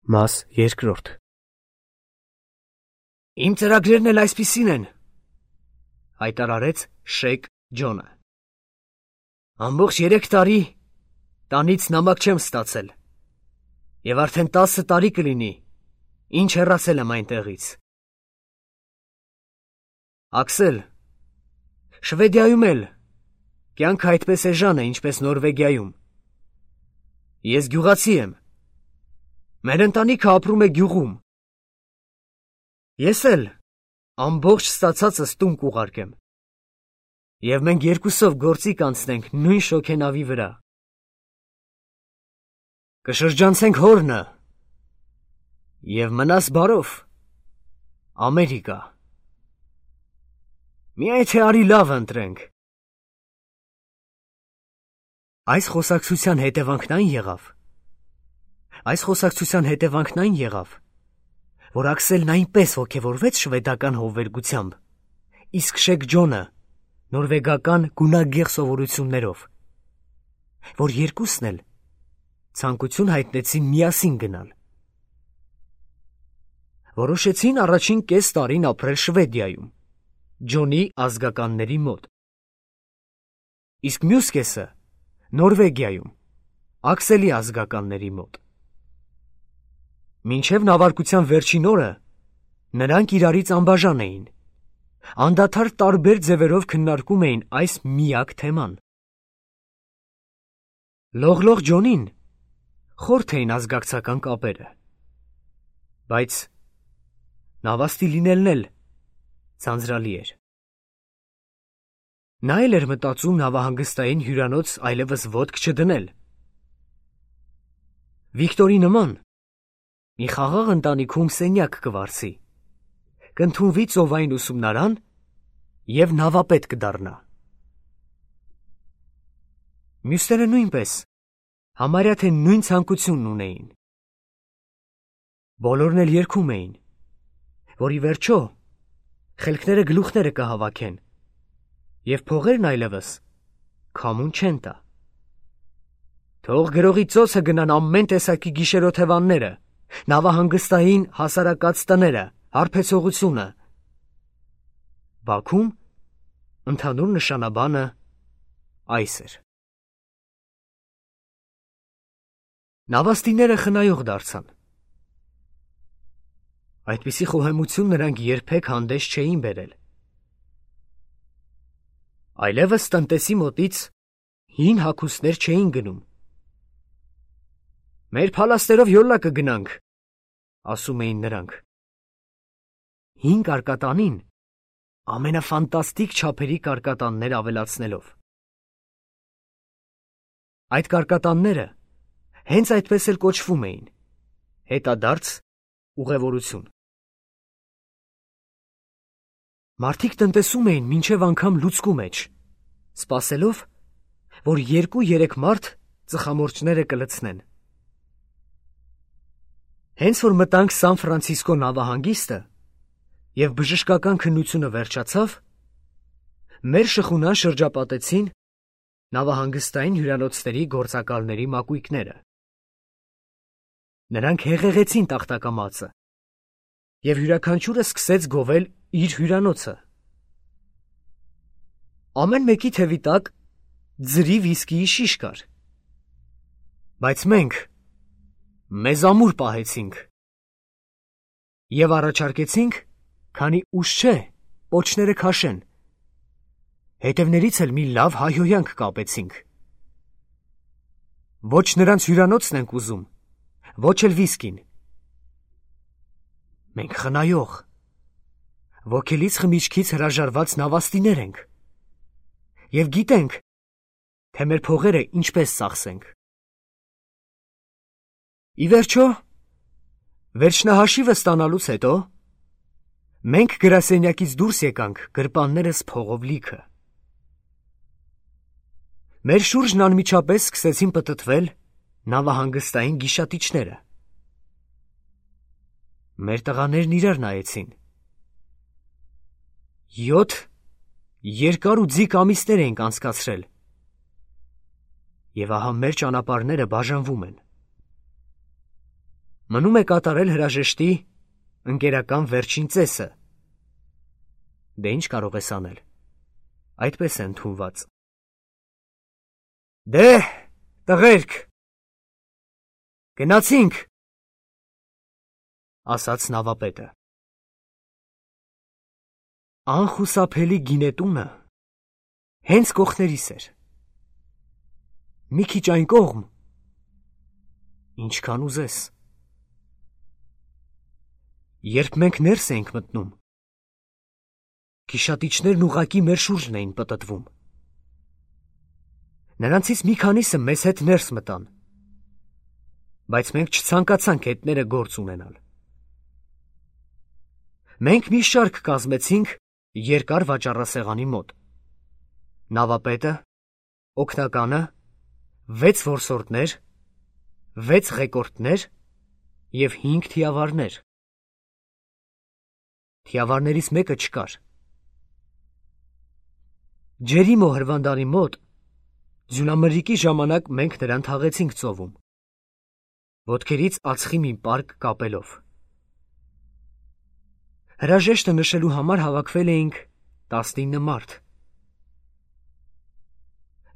Մաս երկրորդ։ Իմ ծրագրերն էլ այսպիսին են, հայտարարեց Շեյք Ջոնը։ Ամբողջ 3 տարի տանից նամակ չեմ ստացել, և արդեն 10 տարի կլինի, ինչ հեռացել եմ այնտեղից։ Աքսել, Շվեդիայում էլ կյանքը այդպես էժան է, ինչպես Նորվեգիայում։ Ես գյուղացի եմ։ Մեր ընտանիքը ապրում է գյուղում։ Ես էլ ամբողջ ստացածս տուն կուղարկեմ, և մենք երկուսով գործի կանցնենք նույն շոգենավի վրա։ Կշրջանցենք հորնը և մնաս բարով, Ամերիկա։ Միայն թե արի լավ ընտրենք։ Այս խոսակցության հետևանքն այն եղավ, որ Աքսելն այնպես ոգևորվեց շվեդական հովվերգությամբ, իսկ Շեյք Ջոնը նորվեգական գունագեղ սովորություններով, որ երկուսն էլ ցանկություն հայտնեցին միասին գնալ։ Որոշեցին առաջին կես տարին ապրել Շվեդիայում, Ջոնի ազգականների մոտ, իսկ մյուս կեսը Նորվեգիայում, Աքսելի ազգականների մոտ։ Մինչև նավարկության վերջին օրը նրանք իրարից անբաժան էին, անդադար տարբեր ձևերով քննարկում էին այս միակ թեման։ Լողլող Ջոնին խորթ էին ազգակցական կապերը, բայց նավաստի լինելն էլ ձանձրալի էր։ Նա էլ էր մտածում նավահանգստային հյուրանոց այլևս ոտք չդնել։ Վիկտորի նման մի խաղաղ ընտանիքում սենյակ կվարձի, կընդունվի ծովային ուսումնարան և նավապետ կդառնա։ Մյուսները նույնպես համարյա թե նույն ցանկությունն ունեին։ Բոլորն էլ երգում էին, որ ի վերջո խելքները գլուխները կհավաքեն, և փողերն այլևս քամուն չեն տա։ Թող գրողի ծոցը գնան ամեն տեսակի գիշերօթևանները, նավահանգստային հասարակած տները, հարբեցողությունը։ Բաքում ընդհանուր նշանաբանը այս էր։ Նավաստիները խնայող դարձան։ Այդպիսի խոհեմություն նրանք երբեք հանդես չէին բերել։ Այլևս տնտեսի մոտից հին հագուստներ չէին գնում։ Մեր փալաստերով յոլա կգնանք, ասում էին նրանք, հին կարկատանին ամենաֆանտաստիկ չափերի կարկատաններ ավելացնելով։ Այդ կարկատանները հենց այդպես էլ կոչվում էին, հետադարձ ուղևորություն։ Մարդիկ տնտեսում էին մինչև անգամ լուցկու մեջ, սպասելով, որ 2-3 մարդ ծխամորճները կլցնեն։ Հենց որ մտանք Սան Ֆրանցիսկո նավահանգիստը և բժշկական քննությունը վերջացավ, մեր շխունան շրջապատեցին նավահանգստային հյուրանոցների գործակալների մակույկները։ Նրանք հեղեղեցին տախտակամածը, և յուրաքանչյուրը սկսեց գովել իր հյուրանոցը։ Ամեն մեկի թևի տակ ձրի վիսկիի շիշ կար, բայց մենք մեզ ամուր պահեցինք և առաջարկեցինք, քանի ուշ չէ, պոչները քաշեն, հետևներից էլ մի լավ հայհոյանք կապեցինք։ Ոչ նրանց հյուրանոցն ենք ուզում, ոչ էլ վիսկին։ Մենք խնայող, ոգելից խմիչքից հրաժարված նավաստիներ ենք և գիտենք, թե մեր փողերը ինչպես ծախսենք։ Ի վերջո, վերջնահաշիվը ստանալուց հետո, մենք գրասենյակից դուրս եկանք գրպաններս փողով լիքը։ Մեր շուրջն անմիջապես սկսեցին պտտվել նավահանգստային գիշատիչները։ Մեր տղաներն իրար նայեցին։ 7 երկար ու ձիգ ամիսներ էինք անցկացրել, և ահա մեր ճանապարհները բաժանվում են։ Մնում է կատարել հրաժեշտի ընկերական վերջին ծեսը։ Դե ինչ կարող ես անել։ Այդպես է ընդունված։ Դե, տղերք, գնացինք, ասաց նավապետը։ Անխուսափելի գինետունը հենց կողքներիս էր։ Մի քիչ այն կողմ, ինչքան ուզես։ Երբ մենք ներս էինք մտնում, գիշատիչներն ուղղակի մեր շուրջն էին պտտվում։ Նրանցից մի քանիսը մեզ հետ ներս մտան, բայց մենք չցանկացանք հետները գործ ունենալ։ Մենք մի շարք կազմեցինք երկար վաճառասեղանի մոտ։ Նավապետը, օգնականը, 6 որսորդներ, 6 ղեկորդներ և 5 թիավարներ։ Թիավարներից մեկը չկար։ Ջերիմո հրվանդանի մոտ ձյունամրրիկի ժամանակ մենք նրան թաղեցինք ծովում, ոտքերից ածխի մի պարկ կապելով։ Հրաժեշտը նշելու համար հավաքվել էինք 19 մարդ։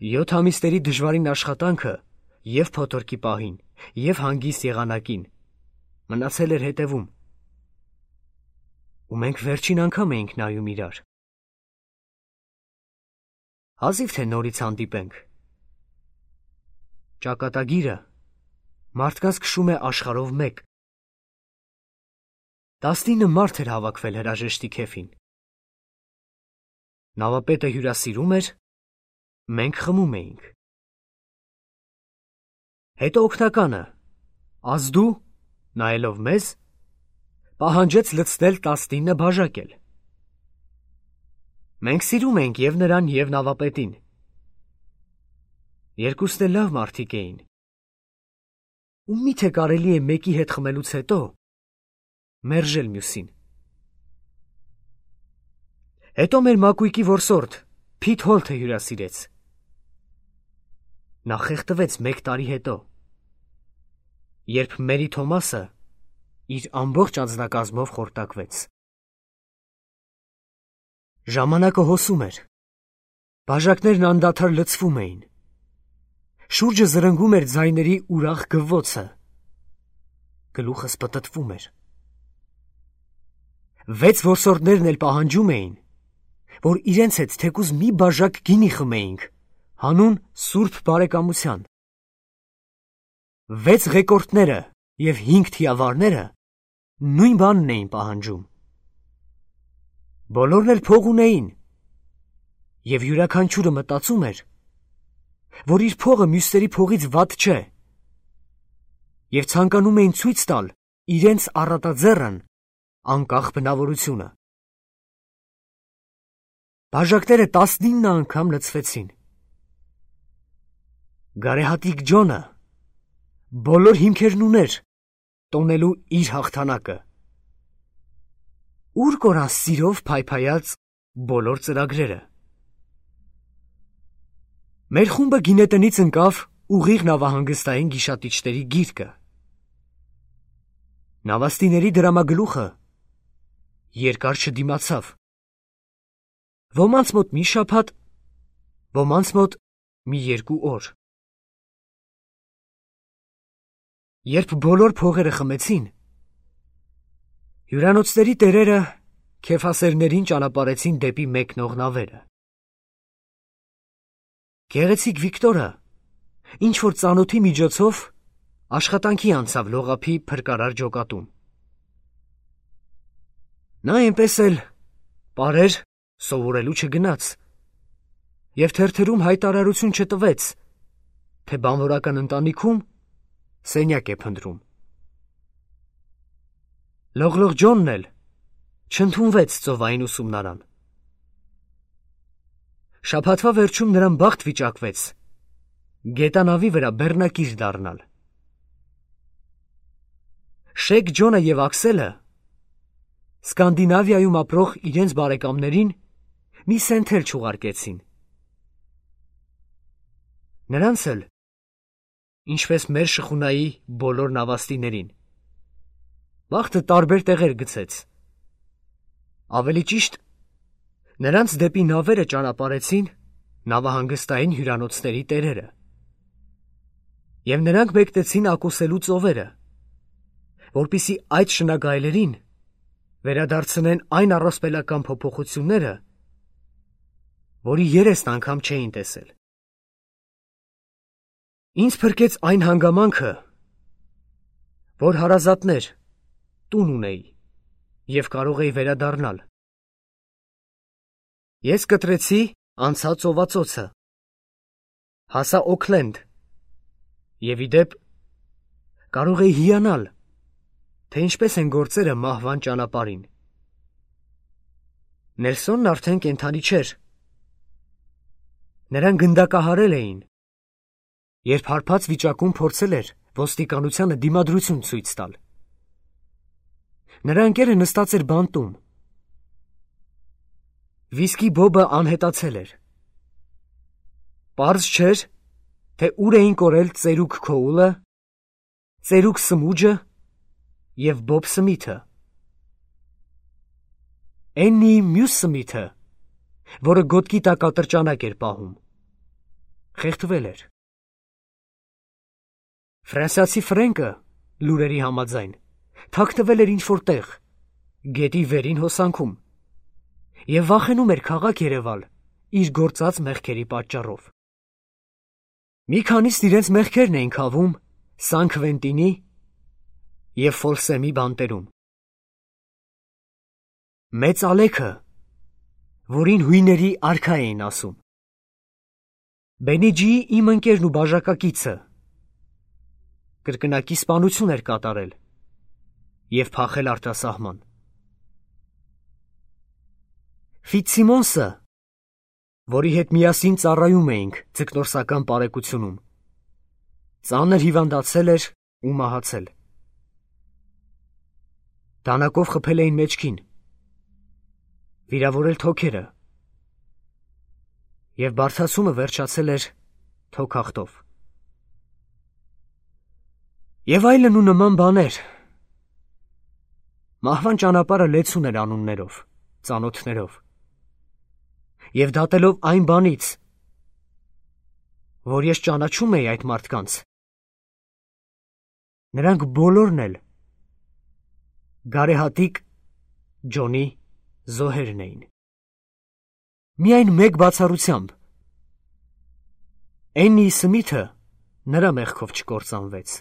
7 ամիսների դժվարին աշխատանքը և փոթորկի պահին, և հանգիստ եղանակին մնացել էր հետևում, ու մենք վերջին անգամ էինք նայում իրար։ Հազիվ թե նորից հանդիպենք։ Ճակատագիրը մարդկանց քշում է աշխարհով մեկ։ 19 մարդ էր հավաքվել հրաժեշտի քեֆին։ Նավապետը հյուրասիրում էր, մենք խմում էինք։ Հետո օգնականը, ազդու, նայելով մեզ, պահանջեց լցնել 19 բաժակել։ Մենք սիրում էինք և նրան, և նավապետին։ Երկուսն էլ լավ մարդիկ էին։ Ու միթե կարելի է մեկի հետ խմելուց հետո մերժել մյուսին։ Հետո մեր մակույկի որսորդ Փիթ Հոլթը հյուրասիրեց։ Նա խեղդվեց 1 տարի հետո, երբ Մերի Թոմասը իր ամբողջ անձնակազմով խորտակվեց։ Ժամանակը հոսում էր։ Բաժակներն անդադար լցվում էին։ Շուրջը զրնգում էր ձայների ուրախ գվվոցը։ Գլուխս պտտվում էր։ 6 որսորդներն էլ պահանջում էին, որ իրենց հետ թեկուզ մի բաժակ գինի խմեինք, հանուն սուրբ բարեկամության։ 6 ղեկորդները և 5 թիավարները նույն բանն էին պահանջում։ Բոլորն էլ փող ունեին, և յուրաքանչյուրը մտածում էր, որ իր փողը մյուսների փողից վատ չէ, և ցանկանում էին ցույց տալ իրենց առատաձեռն անկախ բնավորությունը։ Բաժակները 19 անգամ լցվեցին։ Գարեհատիկ Ջոնը բոլոր հիմքերն ուներ տոնելու իր հաղթանակը։ Ուր կորան սիրով փայփայած բոլոր ծրագրերը։ Մեր խումբը գինետնից ընկավ ուղիղ նավահանգստային գիշատիչների գիրկը։ Նավաստիների դրամագլուխը երկար չդիմացավ։ Ոմանց մոտ մի շաբաթ, ոմանց մոտ մի 2 օր։ Երբ բոլոր փողերը խմեցին, հյուրանոցների տերերը քեֆասերներին ճանապարհեցին դեպի մեկնող նավերը։ Գեղեցիկ Վիկտորը ինչ-որ ծանոթի միջոցով աշխատանքի անցավ լողափի փրկարար ջոկատում։ Նա այնպես էլ պարեր սովորելու չգնաց և թերթերում հայտարարություն չտվեց, թե բանվորական ընտանիքում սենյակ է փնտրում։ Լողլող Ջոնն էլ չընդունվեց ծովային ուսումնարան։ Շաբաթվա վերջում նրան բախտ վիճակվեց գետանավի վրա բեռնակիր դառնալ։ Շեկ Ջոնը և Աքսելը Սկանդինավիայում ապրող իրենց բարեկամներին մի սենթեր չուղարկեցին։ Նրանց էլ, ինչպես մեր շխունայի բոլոր նավաստիներին, Բախտը տարբեր տեղեր գցեց։ Ավելի ճիշտ, նրանց դեպի նավերը ճանապարհեցին նավահանգստային հյուրանոցների տերերը։ Եվ նրանք մեկնեցին ակուսելու ծովերը, որպեսզի այդ շնագայլերին վերադարձնեն այն առասպելական փոփոխությունները, որի երեստ անգամ չէին տեսել։ Ինձ փրկեց այն հանգամանքը, որ հարազատներ, տուն ունեի և կարող էի վերադառնալ։ Ես կտրեցի անցա ծովածոցը, հասա Օքլենդ և ի դեպ կարող էի հիանալ, թե ինչպես են գործերը մահվան ճանապարհին։ Նելսոնն արդեն կենդանի չէր։ Նրան գնդակահարել էին, երբ հարբած վիճակում փորձել էր ոստիկանությանը դիմադրություն ցույց տալ։ Նրա ընկերը նստած էր բանտում։ Վիսկի բոբը անհետացել էր։ Պարզ չէր, թե ուր էին կորել ծերուկ Քոուլը, ծերուկ Սմուջը և Բոբ Սմիթը։ Էննի մյուս Սմիթը, որը գոտկի տակ ատրճանակ էր պահում, խեղդվել էր։ Ֆրանսիացի Ֆրենկը, լուրերի համաձայն, թաքնվել էր ինչ-որ տեղ, գետի վերին հոսանքում, և վախենում էր քաղաք երևալ իր գործած մեղքերի պատճառով։ Մի քանիսն իրենց մեղքերն էին քավում Սան Քվենտինի և Ֆոլսեմի բանտերում։ Մեծ Ալեքը, որին հույների արքա էին ասում։ Բենիջիի իմ ընկերն ու բաժակակիցը կրկնակի սպանություն էր կատարել և փախել արտասահման։ Ֆիցսիմոնսը, որի հետ միասին ծառայում էինք ձկնորսական պարեկությունում, ծանր հիվանդացել էր ու մահացել։ Դանակով խփել էին մեջքին, վիրավորել թոքերը և բարդացումը վերջացել էր թոքախտով։ Եվ այլն ու նման բաներ։ Մահվան ճանապարհը լեցուն էր անուններով, ծանոթներով և դատելով այն բանից, որ ես ճանաչում էի այդ մարդկանց, նրանք բոլորն էլ գարեհատիկ Ջոնի զոհերն էին։ Միայն մեկ բացառությամբ. Էննի Սմիթը նրա մեղքով չկործանվեց։